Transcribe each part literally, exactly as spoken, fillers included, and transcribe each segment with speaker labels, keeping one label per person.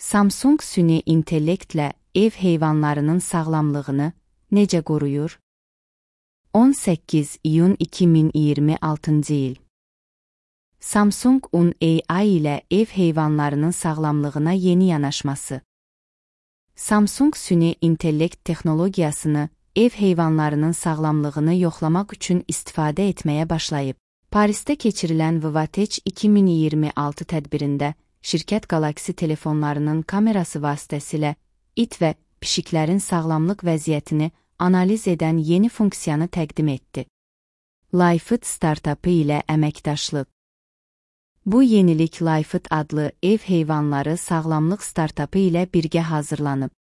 Speaker 1: Samsung süni intellektlə ev heyvanlarının sağlamlığını necə qoruyur? on səkkiz iyun iki min iyirmi altıncı il. Samsung un A I ilə ev heyvanlarının sağlamlığına yeni yanaşması. Samsung süni intellekt texnologiyasını ev heyvanlarının sağlamlığını yoxlamaq üçün istifadə etməyə başlayıb. Parisdə keçirilən Vivatech iki min iyirmi altı tədbirində şirkət Galaxy telefonlarının kamerası vasitəsilə it və pişiklərin sağlamlıq vəziyyətini analiz edən yeni funksiyanı təqdim etdi. Lifeit startapı ilə əməkdaşlıq. Bu yenilik Lifeit adlı ev heyvanları sağlamlıq startapı ilə birgə hazırlanıb.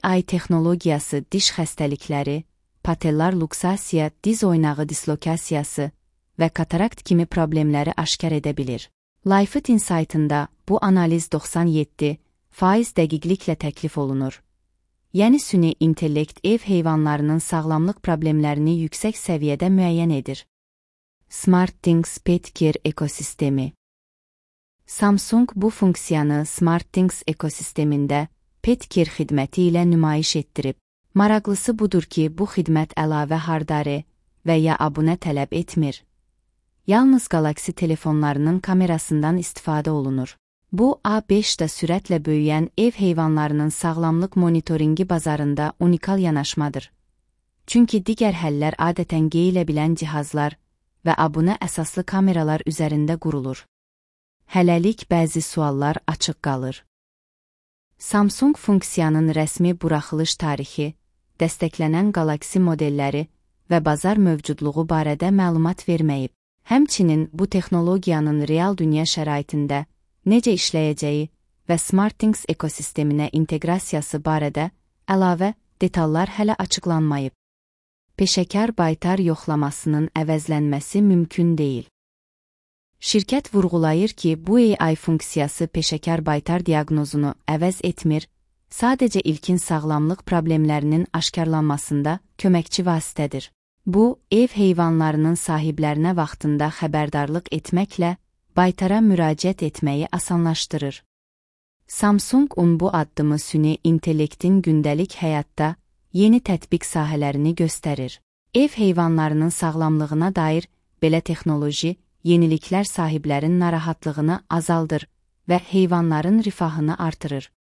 Speaker 1: A I texnologiyası diş xəstəlikləri, patellar luksasiya, diz oynağı dislokasiyası və katarakt kimi problemləri aşkar edə bilir. Lifeit Insight-ında bu analiz doxsan yeddi faiz dəqiqliklə təklif olunur. Yəni süni intellekt ev heyvanlarının sağlamlıq problemlərini yüksək səviyyədə müəyyən edir. SmartThings Pet Care ekosistemi. Samsung bu funksiyanı SmartThings ekosistemində Pet Care xidməti ilə nümayiş etdirib. Maraqlısı budur ki, bu xidmət əlavə hardware və ya abunə tələb etmir. Yalnız Galaxy telefonlarının kamerasından istifadə olunur. Bu, A beşdə sürətlə böyüyən ev heyvanlarının sağlamlıq monitoringi bazarında unikal yanaşmadır. Çünki digər həllər adətən geyilə bilən cihazlar və abunə əsaslı kameralar üzərində qurulur. Hələlik bəzi suallar açıq qalır. Samsung funksiyanın rəsmi buraxılış tarixi, dəstəklənən Galaxy modelləri və bazar mövcudluğu barədə məlumat verməyib. Həmçinin bu texnologiyanın real dünya şəraitində necə işləyəcəyi və SmartThings ekosisteminə inteqrasiyası barədə əlavə detallar hələ açıqlanmayıb. Peşəkar baytar yoxlamasının əvəzlənməsi mümkün deyil. Şirkət vurğulayır ki, bu A I funksiyası peşəkar baytar diaqnozunu əvəz etmir, sadəcə ilkin sağlamlıq problemlərinin aşkarlanmasında köməkçi vasitədir. Bu, ev heyvanlarının sahiblərinə vaxtında xəbərdarlıq etməklə baytara müraciət etməyi asanlaşdırır. Samsung un bu addımı süni intellektin gündəlik həyatda yeni tətbiq sahələrini göstərir. Ev heyvanlarının sağlamlığına dair belə texnoloji, yeniliklər sahiblərin narahatlığını azaldır və heyvanların rifahını artırır.